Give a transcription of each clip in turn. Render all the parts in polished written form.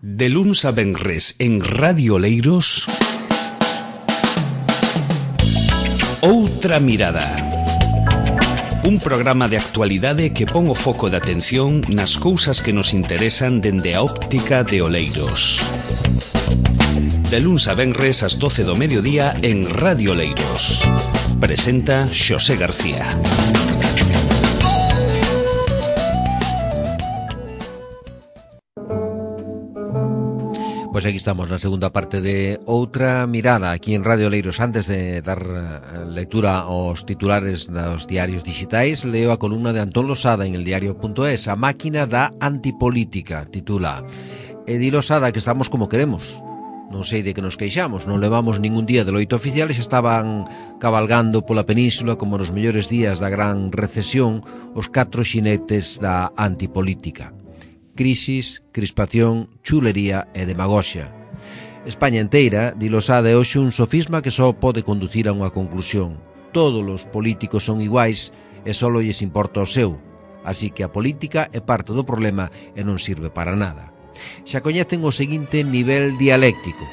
De luns a venres en Radio Oleiros, Outra Mirada. Un programa de actualidade que pon o foco de atención nas cousas que nos interesan dende a óptica de Oleiros. De luns a venres ás 12 do mediodía en Radio Oleiros. Presenta Xosé García. Pois aquí estamos na segunda parte de Outra Mirada aquí en Radio Oleiros. Antes de dar lectura aos titulares dos diarios digitais, leo a columna de Antón Losada en eldiario.es. A máquina da antipolítica, titula. E di Losada que estamos como queremos. Non sei de que nos queixamos, non levamos ningún día de loito oficial e xa estaban cabalgando pola península como nos mellores días da gran recesión os 4 xinetes da antipolítica. Crisis, crispación, chulería e demagoxia. España enteira, di Losada, é hoxe un sofisma que só pode conducir a unha conclusión. Todos os políticos son iguais e só lles importa o seu. Así que a política é parte do problema e non sirve para nada. Xa coñecen o seguinte nivel dialéctico.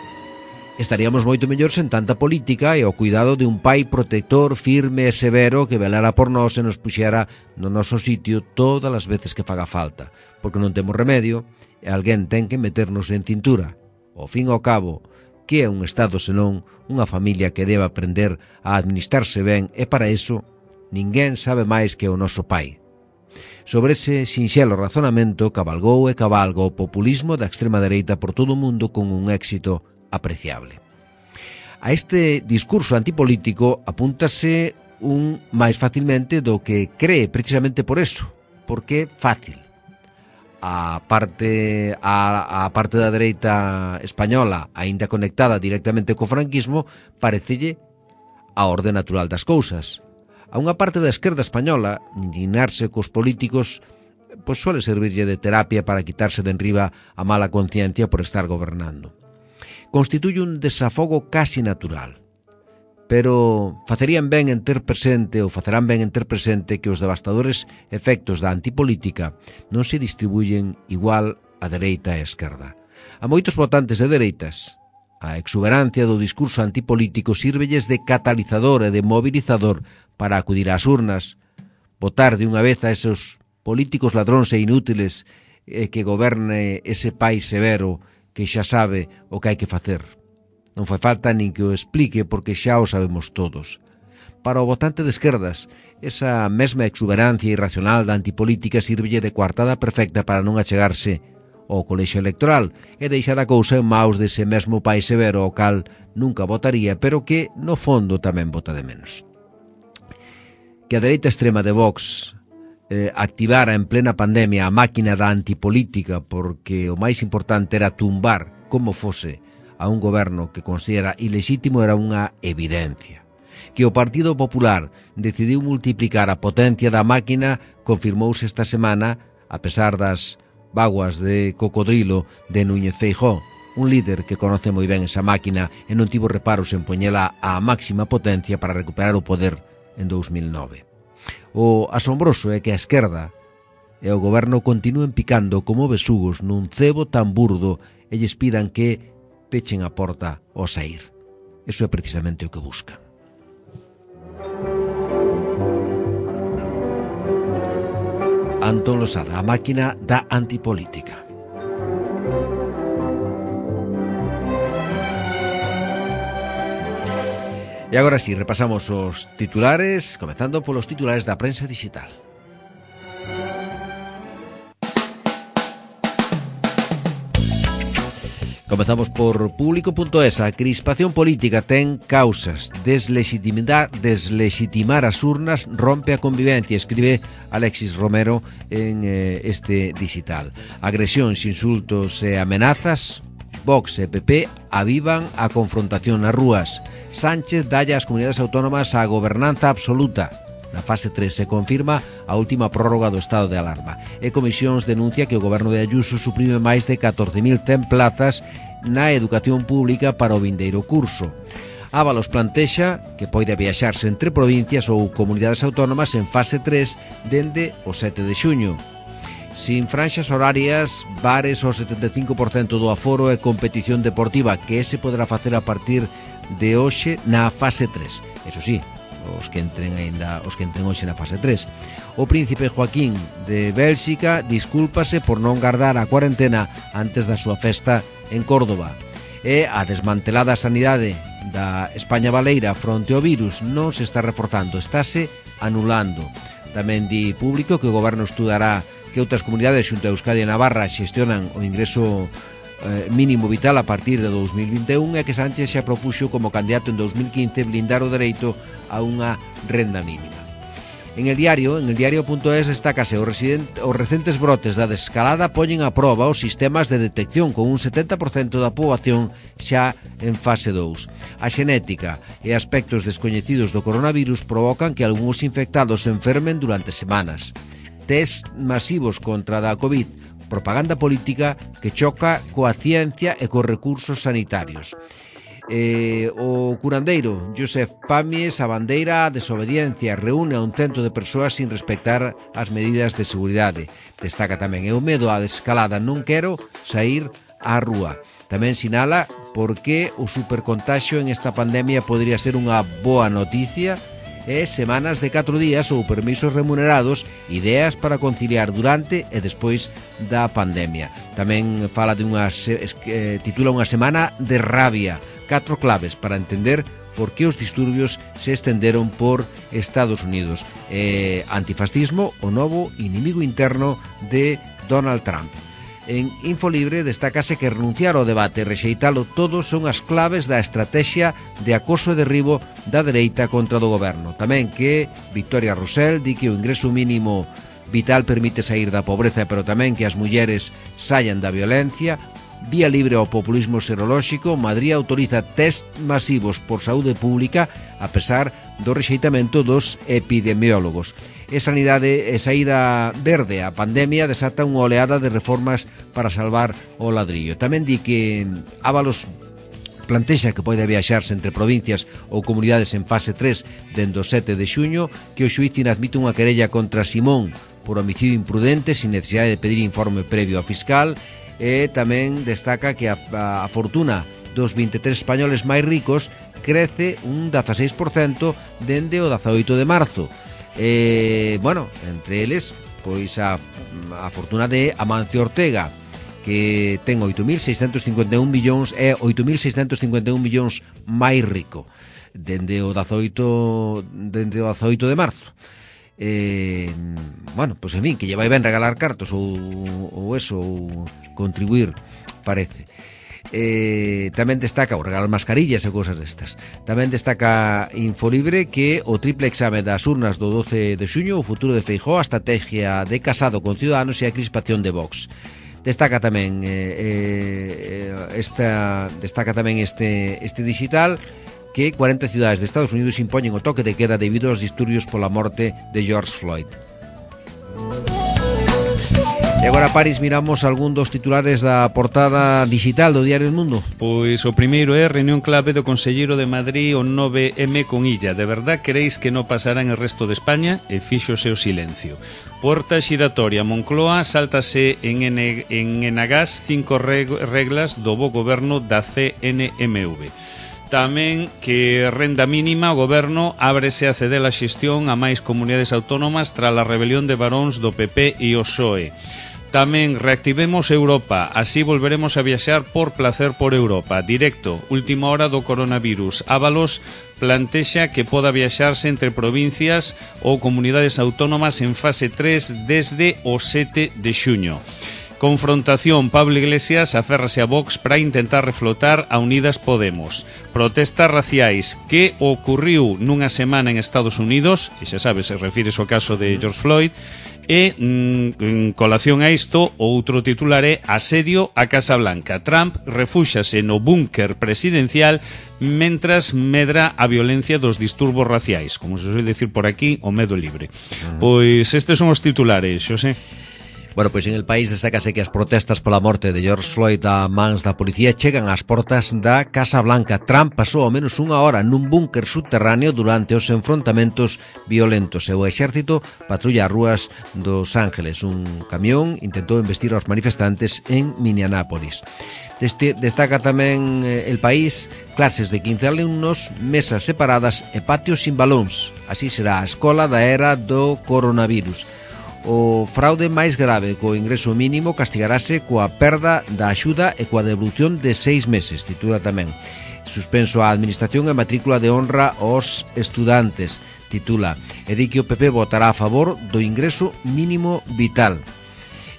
Estaríamos moito mellor sen tanta política e ao cuidado de un pai protector firme e severo que velara por nós e nos puxera no noso sitio todas as veces que faga falta, porque non temos remedio e alguén ten que meternos en cintura. Ao fin e ao cabo, que é un Estado senón unha familia que debe aprender a administrarse ben e para iso ninguén sabe máis que o noso pai. Sobre ese sinxelo razonamento cabalgou e cabalga o populismo da extrema dereita por todo o mundo con un éxito apreciable. A este discurso antipolítico apúntase un máis facilmente do que cree precisamente por eso, porque é fácil. A parte da dereita española, aínda conectada directamente co franquismo, parecelle a orde natural das cousas. A unha parte da esquerda española, indignarse cos políticos, pois suele servirlle de terapia para quitarse de enriba a mala conciencia por estar gobernando. Constituye un desafogo casi natural, pero facerán ben en ter presente que os devastadores efectos da antipolítica non se distribuyen igual a dereita e a esquerda. A moitos votantes de dereitas, a exuberancia do discurso antipolítico sírvelles de catalizador e de mobilizador para acudir ás urnas, votar de unha vez a esos políticos ladróns e inútiles que goberne ese país severo que xa sabe o que hai que facer. Non fai falta nin que o explique porque xa o sabemos todos. Para o votante de esquerdas, esa mesma exuberancia irracional da antipolítica sírvelle de coartada perfecta para non achegarse ao colexio electoral e deixar a cousa en maus dese mesmo país severo ao cal nunca votaría, pero que, no fondo, tamén vota de menos. Que a dereita extrema de Vox activara en plena pandemia a máquina da antipolítica porque o máis importante era tumbar como fose a un goberno que considera ilexítimo era unha evidencia. Que o Partido Popular decidiu multiplicar a potencia da máquina confirmouse esta semana a pesar das vaguas de cocodrilo de Núñez Feijóo, un líder que conoce moi ben esa máquina e non tivo reparos en poñela á máxima potencia para recuperar o poder en 2009. O asombroso é que a esquerda e o goberno continúen picando como besugos nun cebo tan burdo e lles pidan que pechen a porta ao saír. Eso é precisamente o que buscan. Antón Losada, a máquina da antipolítica. E agora sí, repasamos os titulares, comezando polos titulares da prensa digital. Comezamos por público.es. A crispación política ten causas. Deslegitimar as urnas rompe a convivencia, escribe Alexis Romero en este digital. Agresións, insultos e amenazas. Vox e PP avivan a confrontación nas rúas. Sánchez dalle ás comunidades autónomas a gobernanza absoluta. Na fase 3 se confirma a última prórroga do estado de alarma. E Comisións denuncia que o goberno de Ayuso suprime máis de 14.100 plazas na educación pública para o vindeiro curso. Ábalos plantexa que poida viaxarse entre provincias ou comunidades autónomas en fase 3 dende o 7 de xuño. sin franxas horarias, bares ao 75% do aforo e competición deportiva, que se poderá facer a partir de hoxe na fase 3. Eso sí, os que entren hoxe na fase 3. O príncipe Joaquín de Bélxica discúlpase por non guardar a cuarentena antes da súa festa en Córdoba. E a desmantelada sanidade da España baleira fronte ao virus non se está reforzando, estáse anulando. Tamén di Público que o goberno estudará que outras comunidades xunto a Euskadi e Navarra xestionan o ingreso mínimo vital a partir de 2021 e que Sánchez xa propuxo como candidato en 2015 blindar o dereito a unha renda mínima. En el diario.es destácase os recentes brotes da desescalada poñen a proba os sistemas de detección con un 70% da poboación xa en fase 2. A xenética e aspectos descoñecidos do coronavirus provocan que algúns infectados se enfermen durante semanas. Test masivos contra da COVID, propaganda política que choca coa ciencia e cos recursos sanitarios. O curandeiro Josep Pamies a bandeira a desobediencia, reúne a un cento de persoas sin respectar as medidas de seguridade. Destaca tamén o medo á desescalada, non quero sair á rúa. Tamén sinala por que o supercontaxio en esta pandemia podría ser unha boa noticia e semanas de 4 días ou permisos remunerados, ideas para conciliar durante e despois da pandemia. Tamén fala de titula unha semana de rabia, 4 claves para entender por que os disturbios se estenderon por Estados Unidos. Antifascismo, o novo inimigo interno de Donald Trump. En Infolibre destácase que renunciar ao debate e rexeitalo todo son as claves da estrategia de acoso e derribo da dereita contra do goberno. Tamén que Victoria Rosell di que o ingreso mínimo vital permite sair da pobreza, pero tamén que as mulleres saian da violencia. Vía libre ao populismo serolóxico, Madrid autoriza test masivos por saúde pública a pesar do rexeitamento dos epidemiólogos. E sanidade e saída verde a pandemia desata unha oleada de reformas para salvar o ladrillo. Tamén di que Ábalos plantexa que pode viaxarse entre provincias ou comunidades en fase 3 dende o 7 de xuño, que o xuíz inadmite unha querella contra Simón por homicidio imprudente sin necesidade de pedir informe previo ao fiscal. E tamén destaca que a fortuna dos 23 españoles máis ricos crece un 16% dende o 18 de marzo. Entre eles, pois a fortuna de Amancio Ortega, que ten 8.651 millóns, é 8.651 millóns máis rico dende o 18 de marzo. Pois en fin, que lle vai ben regalar cartos ou contribuir, parece. Tamén destaca o regalar mascarillas e cousas destas. Tamén destaca Infolibre que o triple exame das urnas do 12 de xuño, o futuro de Feijóo, a estrategia de Casado con Ciudadanos e a crispación de Vox. Destaca tamén este digital que 40 cidades de Estados Unidos impoñen o toque de queda debido aos disturbios pola morte de George Floyd. E agora, Paris, miramos algún dos titulares da portada digital do Diario El Mundo. Pois o primeiro é reunión clave do Conselleiro de Madrid o 9M con Illa. De verdad queréis que non pasará en el resto de España? E fíxose o silencio. Porta xiratoria, Moncloa sáltase en Enagás 5 reglas do bo goberno da CNMV. Tamén que renda mínima, o goberno ábrese a ceder a xestión a máis comunidades autónomas tras a rebelión de baróns do PP e o PSOE. Tamén reactivemos Europa, así volveremos a viaxar por placer por Europa. Directo, última hora do coronavirus. Ábalos plantexa que poda viaxarse entre provincias ou comunidades autónomas en fase 3 desde o 7 de xuño. Confrontación, Pablo Iglesias aférrase a Vox para intentar reflotar a Unidas Podemos. Protestas raciais que ocurriu nunha semana en Estados Unidos, e xa sabes, se refires ao caso de George Floyd, e en colación a isto, outro titular é asedio a Casa Blanca. Trump refúxase no búnker presidencial mentras medra a violencia dos disturbos raciais, como se suele decir por aquí, o medo libre. Pois estes son os titulares, Xosé. Bueno, pois en el país destácase que as protestas pola morte de George Floyd a mans da policía chegan ás portas da Casa Blanca. Trump pasou ao menos unha hora nun búnker subterráneo durante os enfrontamentos violentos e o exército patrulla as rúas dos Ángeles. Un camión intentou embestir aos manifestantes en Minneapolis. Destaca tamén el país clases de 15 alumnos, mesas separadas e patios sin balóns. Así será a escola da era do coronavirus. O fraude máis grave co ingreso mínimo castigarase coa perda da axuda e coa devolución de 6 meses, titula tamén. Suspenso a administración e matrícula de honra aos estudantes, titula. E di que o PP votará a favor do ingreso mínimo vital.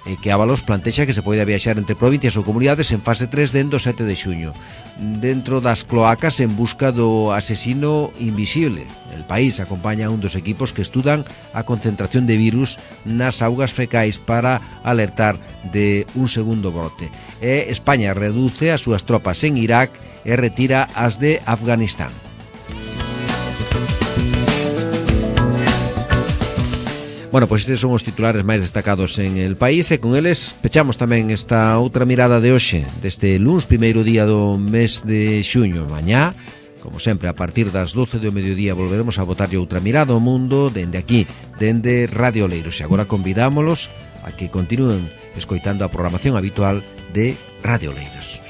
E que Ábalos plantexa que se poida viaxar entre provincias ou comunidades en fase 3 dentro do 7 de xuño. Dentro das cloacas en busca do asesino invisible. El país acompaña a un dos equipos que estudan a concentración de virus nas augas fecais para alertar de un segundo brote. E España reduce as súas tropas en Irak e retira as de Afganistán. Bueno, pois estes son os titulares máis destacados en el país e con eles pechamos tamén esta outra mirada de hoxe, deste luns, primeiro día do mes de xuño. Mañá, como sempre, a partir das 12 do mediodía volveremos a botarlle outra mirada ao mundo dende aquí, dende Radio Oleiros. E agora convidámolos a que continúen escoitando a programación habitual de Radio Oleiros.